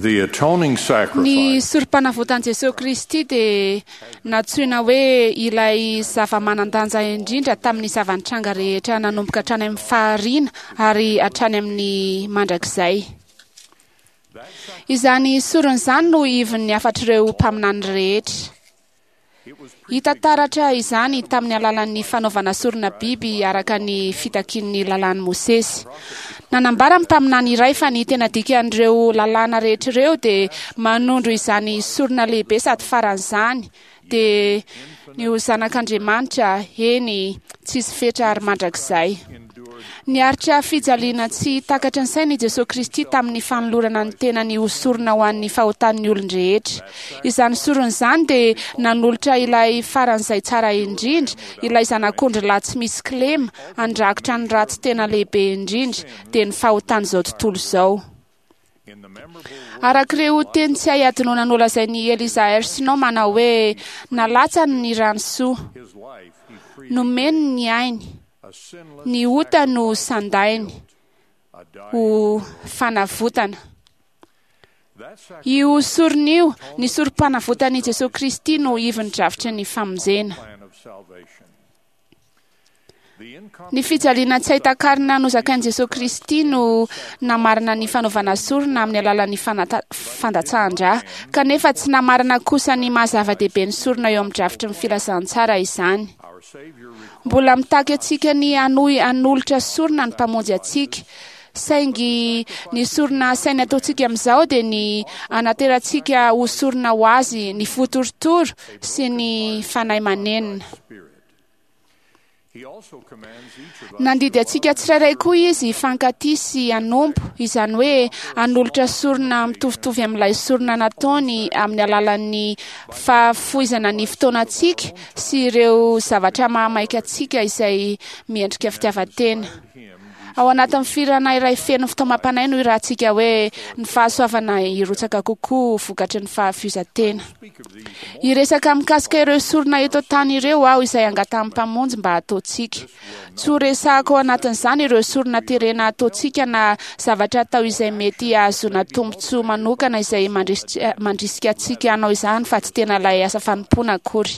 The atoning Ny sacrifice sorom-panavotan'i Jesoa Kristy dia nantsoina hoe ilay zava-manan-danja indrindra tamin'ny zava-nitranga rehetra nanomboka hatrany amin'ny fahariana ary hatrany amin'ny mandrakizay. Izany sorona izany no ivon'ny hafatr'ireo mpaminany rehetra. Hita taratra izany tamin'ny alalan'ny fanaovana sorona biby araka ny fitakian'ny lalàn'i Mosesy. Nanambara ny mpaminany iray fa ny tena dikan'ireo lalàna rehetra ireo dia manondro izany sorona lehibe sady faran'izany dia ny ho zanak'Andriamanitra, eny, tsisy fetra ary mandrakizay. Niaritra fijaliana tsy takatry ny saina i Jesoa Kristy tamin'ny fanolorana ny tenany ho sorona ho an'ny fahotan'ny olon-drehetra. Izany sorona izany dia nanolotra ilay faran'izay tsara indrindra, ilay zanak'ondry lahy tsy misy kilema, handrakotra ny ratsy tena lehibe indrindra, dia ny fahotan'izao tontolo izao. in the memorable Araka ireo teny tsy hay hadinoana nolazain'i Eliza R. Snow manao hoe nalatsany ny rano soa, his life he freed nomeny ny ainy, a sinless ny ota no sandainy a dying ho fanavotana. that sacrifice Io sorona io, ny sorom-panavotan'i Jesoa Kristy no ivon'ny drafitry ny famonjena. plan of salvation. The Ny fijaliana tsy hay takarina nozakain'i Jesoa Kristy no namarina ny fanaovana sorona amin'ny alalan'ny fandatsahan-drà, kanefa tsy namarina kosa ny maha zava-dehibe ny sorona eo amin'ny drafitry ny filazantsara izany. our Savior required Mbola mitaky antsika ny hanohy hanolotra sorona ny mpamonjy antsika. Saingy ny sorona asaina ataontsika amin'izao dia ny anaterantsika ho sorona ho azy ny fo torotoro sy ny fanahy manenina. spirit. He also commands each of us Nandidy antsika tsirairay koa izy hifankatia sy hanompo, izany hoe hanolotra sorona mitovitovy amin'ilay sorona nataony amin'ny alalan'ny fahafoizana ny fotoanantsika sy ireo zavatra mahamaika antsika izay miendrika fitiavan-tena. him Ao anatin'ny firana iray feno fitaomam-panahy no irahantsika hoe ny fahasoavana hirotsaka kokoa vokatry ny fahafoizan-tena. speak of these more Hiresaka mikasika ireo sorona eto an-tany ireo aho izay angatahan'ny mpamonjy mba hataontsika. Tsy ho resahako ao anatin'izany ireo sorona terena ataontsika na zavatra atao izay mety hahazoana tombontsoa manokana izay mandrisika antsika hanao izany fa tsy tena ilay asa fanompoana akory.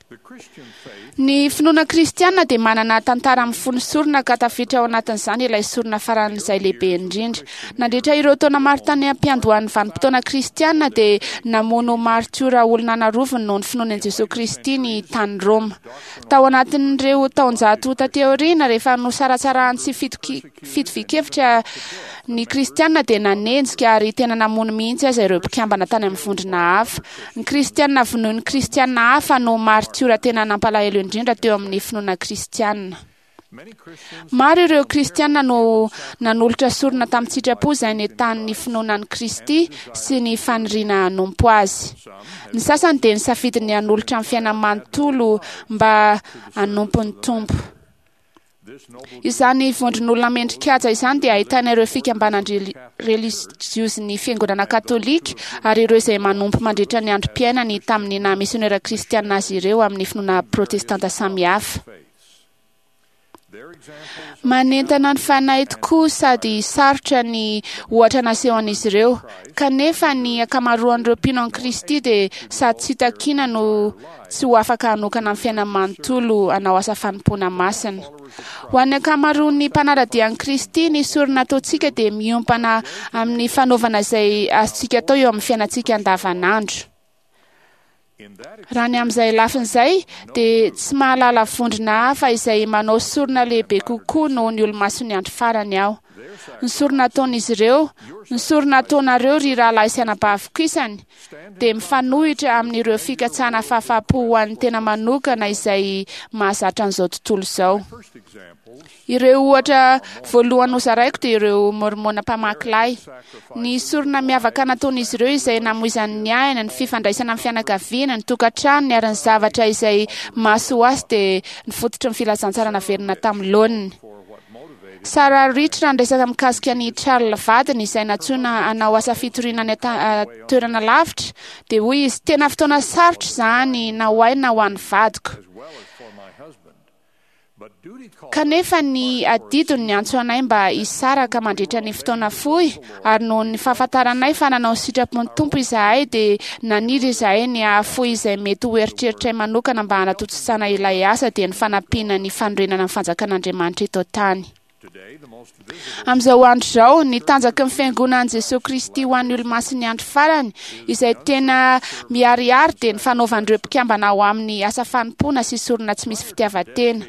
the Christian faith Ny finoana kristiana dia manana tantara mifono sorona ka tafiditra ao anatin'izany ilay sorona faran'izay lehibe indrindra. Nandritra ireo taona maro tany am-piandohan'ny vanim-potoana kristiana dia namono martiora olona an'arivony noho ny finoany an'i Jesoa Kristy ny tany Roma. Tao anatin'ireo taonjato taty aoriana, rehefa nosaratsarahan'ny tsy fitovian-kevitra ny kristiana dia nanenjika ary tena namono mihitsy aza ireo mpikambana tany amin'ny vondrona hafa. Ny kristiana vonoin'ny kristiana hafa no martiora tena nampalahelo indrindra teo amin'ny finoana kristiana. many Christians Maro ireo kristiana no nanolotra sorona tamin'ny sitrapo izay nentanin'ny finoana an'i Kristy sy ny faniriana hanompo azy. Ny sasany dia nisafidy ny hanolotra ny fiainany manontolo mba hanompo ny Tompo. this noble Izany vondron'olona mendrikaja izany dia ahitana ireo fikambanan-drelijiozin'ny fiangonana katolika ary ireo izay manompo mandritra ny androm-piainany tamin'ny naha misionera kristiana azy ireo amin'ny finoana protestanta samihafa. faiths. Their examples Manentana ny fanahy tokoa sady sarotra ny ohatra nasehon'izy ireo. Kanefa ny ankamaroan'ireo mpino an'i Kristy dia sady tsy takiana no tsy ho afaka hanokana ny fiainany manontolo hanao asa fanompoana masina. Ho an'ny ankamaroan'ny mpanara-dia an'i Kristy, ny sorona ataontsika dia miompana amin'ny fanaovana izay azontsika atao eo amin'ny fiainantsika andavanandro. in that Raha ny amin'izay lafiny izay dia tsy mahalala vondrona hafa izay manao sorona lehibe kokoa noho ny olomasin'ny andro farany aho. Ny sorona ataon'izy ireo, ny sorona ataonareo ry rahalahy sy anabaviko isany, dia mifanohitra amin'ireo fikatsahana fahafahampo ho an'ny tena manokana izay mahazatra an'izao tontolo izao. first examples Ireo ohatra voalohany nozaraiko dia ireo mormona mpamaky lay. Ny sorona miavaka nataon'izy ireo izay namoizany ny aina, ny fifandraisana amin'ny fianakaviana, ny tokantranony ary ny zavatra izay mahasoa azy dia ny fototry ny filazantsara naverina tamin'ny laoniny. for what motivated Sarah Rich raha niresaka mikasika ny Charles vadiny izay nantsoina hanao asa fitoriana any toerana lavitra dia hoy izy tena fotoana sarotra izany na ho ahy na ho an'ny vadiko. as well as for my husband. Kanefa ny adidiny niantso anay mba hisaraka mandritra ny fotoana fohy, ary noho ny fahafantaranay fa nanao ny sitrapon'ny Tompo izahay, dia naniry izahay ny hahafoy izay mety ho eritreritray manokana mba hanatontosana ilay asa, dia ny fanampiana ny fanorenana ny fanjakan'Andriamanitra eto an-tany. Amin'izao andro izao, ny tanjaky ny Fiangonan'i Jesoa Kristy ho an'ny Olomasin'ny Andro Farany, izay tena miharihary, dia ny fanaovan'ireo mpikambana ao aminy asa fanompoana sy sorona tsy misy fitiavan-tena.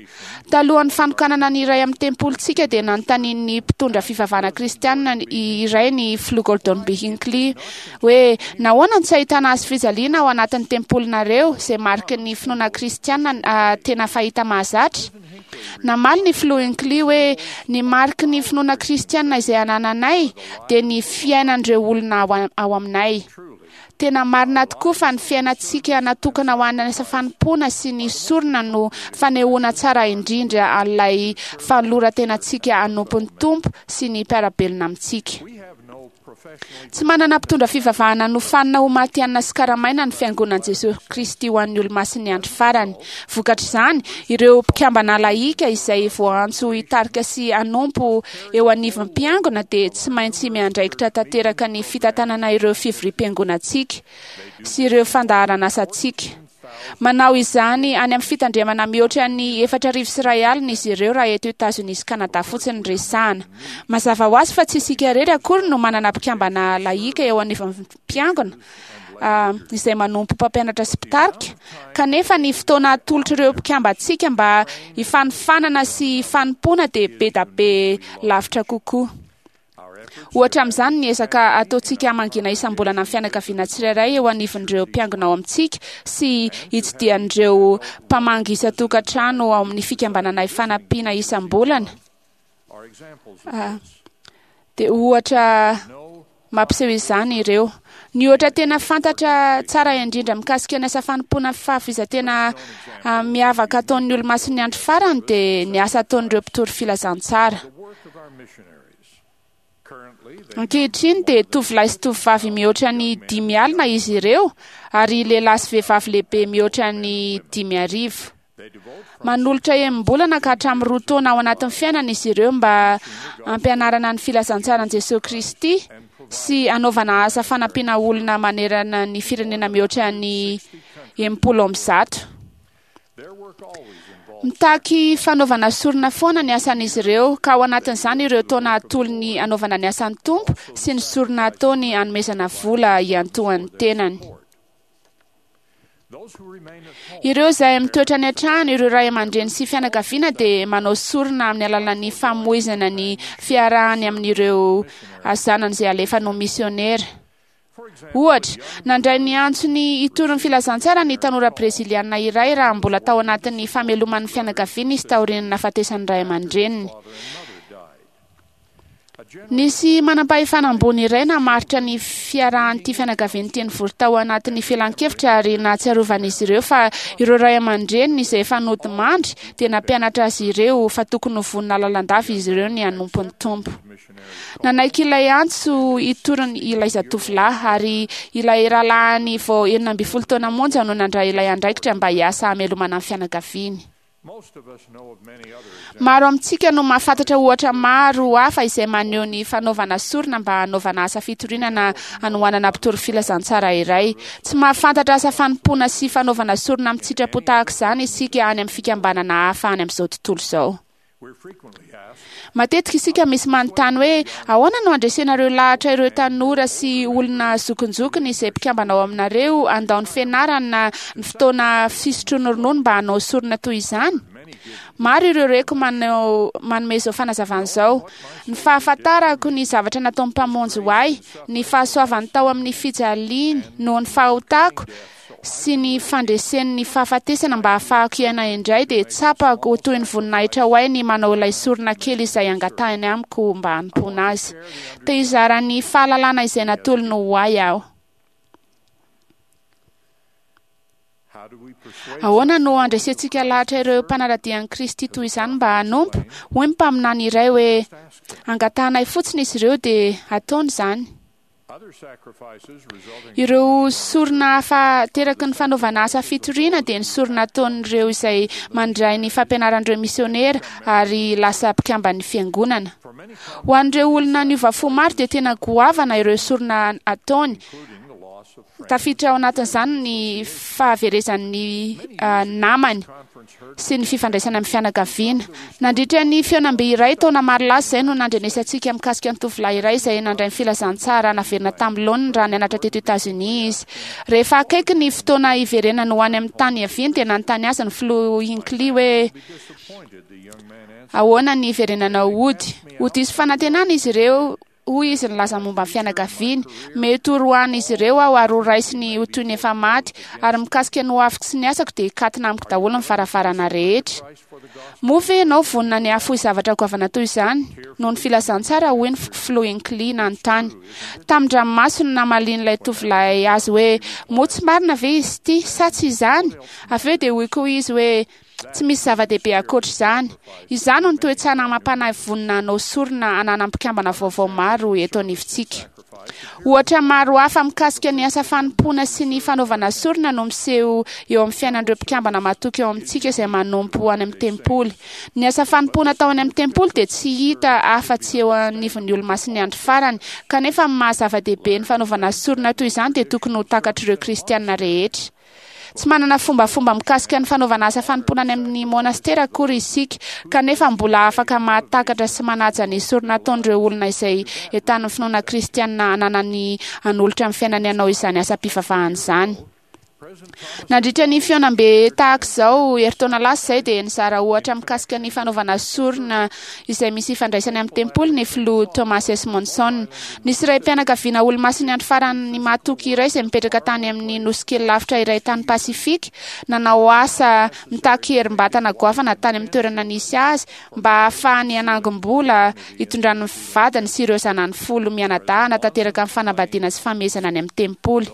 Talohan'ny fanokanana ny iray amin'ny tempolintsika, dia nanontanian'ny mpitondra fivavahana kristianina iray ny Filoha Gordon B. Hinckley hoe, Nahoana no tsy ahitana hazo fijaliana ao anatin'ny tempolinareo, izay mariky ny finoana kristianina tena fahita mahazatra? Namaly ny Filoha Hinckley hoe, Ny mariky ny finoana kristiana izay anananay dia ny fiainan'ireo olona ao aminay. Tena marina tokoa fa ny fiainantsika natokana ho an'ny asa fanompoana sy ny sorona no fanehoana tsara indrindra an'ilay fanoloran-tenantsika hanompo ny Tompo sy ny mpiara-belona amintsika. Tsy manana mpitondra fivavahana nofanina ho matihanina sy karamaina ny Fiangonan'i Jesoa Kristy ho an'ny Olomasin'ny Andro Farany. Vokatr'izany, ireo mpikambana lahika izay voaantso hitarika sy hanompo eo anivon'ny mpiangona dia tsy maintsy miandraikitra tanteraka ny fitantanana ireo fivoriam-piangonantsika sy ireo fandaharan'asantsika. Manao izany any amin'ny fitandremana mihoatra ny 2400 izy ireo raha eto Etazonia sy Kanada fotsiny no resahana. Mazava ho azy fa tsy isika irery akory no manana mpikambana lahika eo anivon'ny mpiangona izay manompo mpampianatra sy mpitarika, kanefa ny fotoana atolotr'ireo mpikambantsika mba hifanofanana sy hifanompoana dia be da be lavitra kokoa. Ohatra amin'izany ny ezaka ataontsika hamangiana isam-bolana ny fianakaviana tsirairay eo anivon'ireo mpiangona ao amintsika sy hitsidihan'ireo mpamangy isan-tokantrano ao amin'ny fikambanana Ifanampiana isam-bolana. Dia ohatra mampiseho izany ireo. Ny ohatra tena fantatra tsara indrindra mikasika ny asa fanompoana fahafoizan-tena miavaka ataon'ny Olomasin'ny Andro Farany dia ny asa ataon'ireo mpitory filazantsara. Ankehitriny dia tovolahy sy tovovavy mihoatra ny 50 izy ireo ary lehilahy sy vehivavy lehibe mihoatra ny 5000. Manolotra enim-bolana ka hatramin'ny 2 taona ao anatin'ny fiainana izy ireo mba hampianarana ny filazantsaran'i Jesoa Kristy sy hanaovana asa fanampiana olona manerana ny firenena mihoatra ny 160. Mitaky fanaovana sorona foana ny asan'izy ireo, ka ao anatin'izany ireo taona atolony hanaovana ny asan'ny Tompo sy ny sorona ataony hanomezana vola hiantohan'ny tenany. Ireo izay mitoetra any an-trano, ireo ray aman-dreny sy fianakaviana dia manao sorona amin'ny alalan'ny famoizana ny fiarahany amin'ireo zanany izay alefany ho misionera. Ohatra, nandray ny antsony hitory ny filazantsara ny tanora breziliana iray raha mbola tao anatin'ny fameloman'ny fianakaviany izy taorian'ny nahafatesan'ny ray aman-dreniny. Nisy manam-pahefana ambony iray namaritra ny fiarahan'ity fianakaviana ity nivory tao anatin'ny filan-kevitra ary nahatsiarovan'izy ireo fa ireo ray aman-dreniny izay efa nodimandry dia nampianatra azy ireo fa tokony ho vonona lalandava izy ireo ny hanompo ny Tompo. Nanaiky ilay antso hitoriny ilay zatovolahy ary ilay rahalahiny vao 16 taona monja no nandray ilay andraikitra mba hiasa hamelomana ny fianakaviany. Maro amintsika no mahafantatra ohatra maro hafa izay maneho ny fanaovana sorona mba hanaovana asa fitoriana na hanohanana mpitory filazantsara iray. Tsy mahafantatra asa fanompoana sy fanaovana sorona amin-tsitrapo tahaka izany isika any amin'ny fikambanana hafa any amin'izao tontolo izao. Matetika isika misy manontany hoe, Ahoana no handresenareo lahatra ireo tanora sy olona zokinjokiny izay mpikambana ao aminareo handao ny fianarany na ny fotoana fisotroany ronono mba hanao sorona toy izany? Maro ireo reko manao manome izao fanazavana izao, Ny fahafantarako ny zavatra nataon'ny Mpamonjy ho ahy, ny fahasoavany tao amin'ny fijaliany noho ny fahotako, sy ny fandreseny ny fahafatesana mba hahafahako hiaina indray dia tsapako ho toy ny voninahitra ho ahy ny manao ilay sorona kely izay angatahiny amiko mba hanompoana azy. Te hizara ny fahalalana izay natolony ho ahy aho. Ahoana no handresentsika lahatra ireo mpanara-dia an'i Kristy toy izany mba hanompo? Hoy ny mpaminany iray hoe, Angatahanay fotsiny izy ireo dia hataony izany. Ireo sorona hafa ateraky ny fanaovana asa fitoriana dia ny sorona ataon'ireo izay mandray ny fampianaran'ireo misionera ary lasa mpikamban'ny fiangonana. Ho an'ireo olona niova fo maro dia tena goavana ireo sorona ataony. Tafiditra ao anatin'izany ny fahaverezan'ny namany sy ny fifandraisana amin'ny fianakaviana. Nandritra ny fihaonambe iray taona maro lasa izay no nandrenesantsika mikasika ny tovolahy iray izay nandray ny filazantsara naverina tamin'ny laoniny raha nianatra teto Etazonia izy. Rehefa akaiky ny fotoana hiverenany ho any amin'ny tany niaviany dia nanontany azy ny filoha Hinckley hoe ahoana ny hiverenanao hody. Ho diso fanantenana izy ireo, hoy izy nilaza momba ny fianakaviany. Mety ho roahan'izy ireo aho ary ho raisiny ho toy ny efa maty, ary mikasika ny hoaviko sy ny asako dia hikatona amiko daholo ny varavarana rehetra. Moa ve ianao vonona ny hahafoy zavatra goavana toy izany noho ny filazantsara? Hoy ny filoha Hinckley nanontany. Tamin-dranomaso no namalian'ilay tovolahy azy hoe, Moa tsy marina ve izy ity, sa tsy izany? Avy eo dia hoy koa izy hoe, Tsy misy zava-dehibe ankoatra izany. Izany no toe-tsaina amam-panahy vonona hanao sorona ananan'ny mpikambana vaovao maro eto anivontsika. Ohatra maro hafa mikasika ny asa fanompoana sy ny fanaovana sorona no miseho eo amin'ny fiainan'ireo mpikambana matoky eo amintsika izay manompo any amin'ny tempoly. Ny asa fanompoana atao any amin'ny tempoly dia tsy hita afa-tsy eo anivon'ny Olomasin'ny Andro Farany, kanefa amin'ny maha-zava-dehibe ny fanaovana sorona toy izany dia tokony ho takatr'ireo Kristiana rehetra. Tsy manana fombafomba mikasika ny fanaovana asa fanompoana any amin'ny monastera akory isika, kanefa mbola afaka mahatakatra sy manaja ny sorona ataon'ireo olona izay entanin'ny finoana kristiana ananany hanolotra ny fiainany hanao izany asam-pivavahana izany. Nandritra ny fihaonambe tahaka izao herintaona lasa izay dia nizara ohatra mikasika ny fanaovana sorona izay misy ifandraisany amin'ny tempoly ny filoha Thomas S. Monson. Nisy raim-pianakaviana Olomasin'ny Andro Farany mahatoky iray izay mipetraka tany amin'ny nosy kely lavitra iray tany Pasifika, nanao asa mitaky herim-batana goavana tany amin'ny toerana nisy azy mba hahafahany hanangom-bola hitondrany ny vadiny sy ireo zanany folo mianadahy hanatanteraka ny fanambadiana sy famehezana any amin'ny tempoly.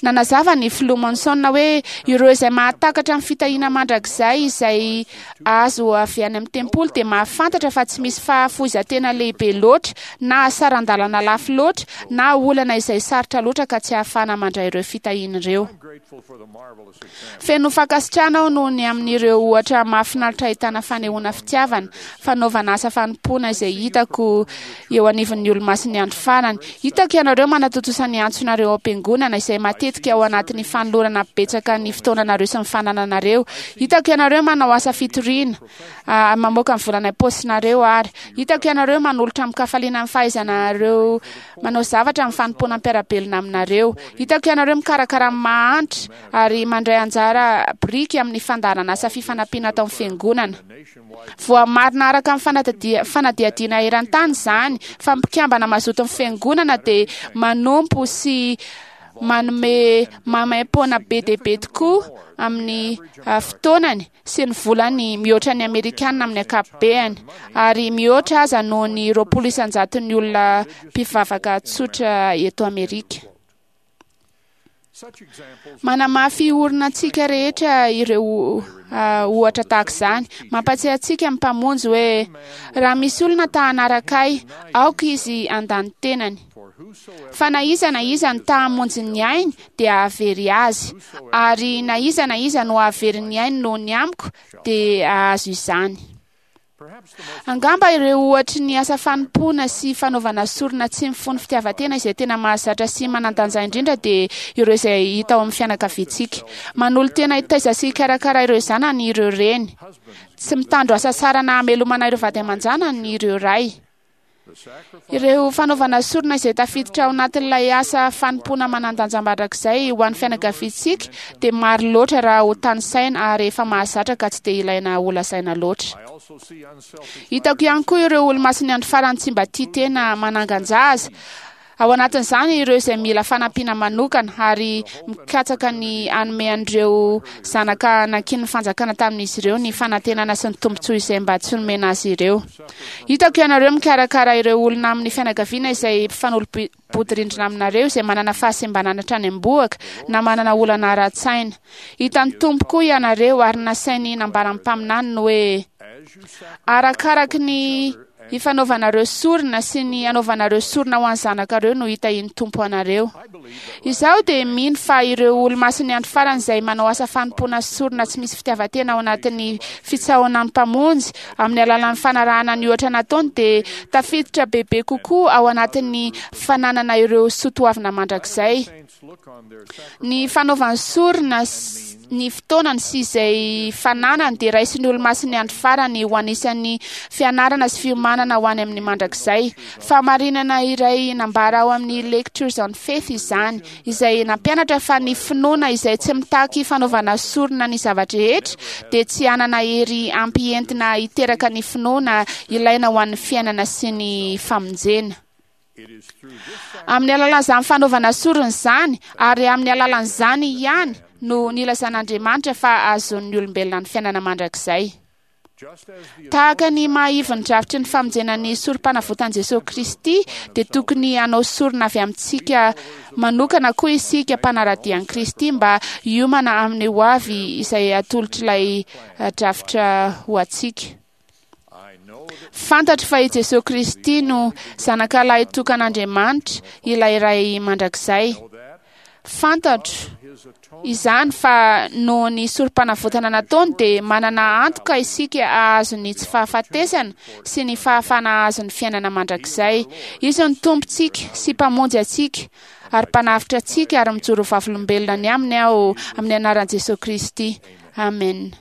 Nanazava ny Filoha Monson hoe ireo izay mahatakatra ny fitahiana mandrakizay izay azo avy any amin'ny tempoly dia mahafantatra fa tsy misy fahafoizan-tena lehibe loatra na saran-dalana lafo loatra na olana izay sarotra loatra ka tsy ahafahana mandray ireo fitahiana ireo. Feno fankasitrahana aho noho ny amin'ireo ohatra mahafinaritra ahitana fanehoana fitiavana, fanaovana asa fanompoana izay hitako eo anivon'ny Olomasin'ny Andro Farany. Hitako ianareo manatontosa ny antsonareo ao am-piangonana, izay matetika ao anatin'ny fanolorana betsaka ny fotoananareo sy ny fanananareo. Hitako ianareo manao asa fitoriana, mamoaka ny volana am-paosinareo ary. Hitako ianareo manolotra amin-kafaliana ny fahaizanareo manao zavatra amin'ny fanompoana mpiara-belona aminareo. Hitako ianareo mikarakara ny mahantra ary mandray anjara biriky amin'ny fandaharanasa fifanampiana atao amin'ny fiangonana. Voamarina araka ny fanadihadiana eran-tany izany fa ny mpikambana mazoto amin'ny fiangonana dia manompo sy manome maimaim-poana be dia be tokoa amin'ny fotoanany sy ny volany mihoatra ny Amerikana amin'ny ankapobeany, ary mihoatra aza noho ny 20 isan-jaton'ny olona mpivavaka tsotra eto Amerika. Manamafy orina antsika rehetra ireo ohatra tahaka izany. Mampatsiahy antsika ny Mpamonjy hoe, Raha misy olona ta hanaraka Ahy, aoka izy handà ny tenany. Fa na iza na iza no ta hamonjy ny ainy dia hahavery azy, ary na iza na iza no hahavery ny ainy noho ny amiko dia hahazo izany. Angamba ireo ohatry ny asa fanompoana sy fanaovana sorona tsy mifono fitiavan-tena izay tena mahazatra sy manan-danja indrindra dia ireo izay hita ao amin'ny fianakaviantsika. Manolo-tena hitaiza sy hikarakara ireo zanany ireo reny. Tsy mitandro hasasarana hamelomana ireo vady aman-janany ireo ray. Ireo fanaovana sorona izay tafiditra ao anatin'ilay asa fanompoana manan-danja mandrakizay ho an'ny fianakaviantsika dia maro loatra raha ho tanisaina ary efa mahazatra ka tsy dia ilaina holazaina loatra. Hitako ihany koa ireo Olomasin'ny Andro Farany tsy mba tia tena manangan-jaza, Ao anatin'izany ireo izay mila fanampiana manokana ary mikatsaka ny hanome an'ireo zanaka nankinin'ny fanjakana tamin'izy ireo ny fanantenana sy ny tombontsoa izay mba tsy nomena azy ireo. Hitako ianareo mikarakara ireo olona amin'ny fianakaviana izay mpifanolo-bodirindrina aminareo izay manana fahasembanana hatrany am-bohoka na manana olana ara-tsaina. Hitan'ny Tompo koa ianareo ary nasainy nambaran'ny mpaminaniny hoe, Arakaraky ny. Ifanaovanareo sorona sy ny anaovanareo sorona ho an'ny zanakareo no hitahian'ny Tompo anareo. Izaho dia mino fa ireo olomasin'ny andro farany izay manao asa fanompoana sorona tsy misy fitiavan-tena ao anatin'ny fitsaohan'ny Mpamonjy amin'ny alalan'ny fanarahana ny ohatra nataony dia tafiditra bebe kokoa ao anatin'ny fananana ireo soatoavina mandrakizay. Ny fanaovany sorona ny fotoanany sy izay fananany dia raisin'ny olomasin'ny andro farany ho anisan'ny fianarana sy fiomanana ho any amin'ny mandrakizay. Fahamarinana iray nambara ao amin'ny Lectures on Faith izany, izay nampianatra fa ny finoana izay tsy mitaky fanaovana sorona ny zava-drehetra dia tsy hanana hery ampy entina hiteraka ny finoana ilaina ho an'ny fiainana sy ny famonjena. Amin'ny alalan'izany fanaovana sorona izany ary amin'ny alalan'izany ihany no nilazan'Andriamanitra fa ahazoan'ny olombelona ny fiainana mandrakizay. Tahaka ny maha ivon'ny drafitry ny famonjena ny sorom-panavotan'i Jesosy Kristy dia tokony hanao sorona avy amintsika manokana koa isika mpanara-dia an'i Kristy mba hiomana amin'ny ho avy izay atolotr'ilay drafitra ho antsika. Fantatro fa i Jesosy Kristy no Zanaka lahitokan'Andriamanitra, ilay Ray mandrakizay. Fantatro izany fa noho ny sorom-panavotana nataony dia manana antoka isika hahazo ny tsy fahafatesana sy ny fahafahana hahazo ny fiainana mandrakizay. Izy no Tompontsika sy Mpamonjy antsika ary Mpanavotra antsika ary mijoro vavolombelona ny aminy aho amin'ny anaran'i Jesosy Kristy. Amen.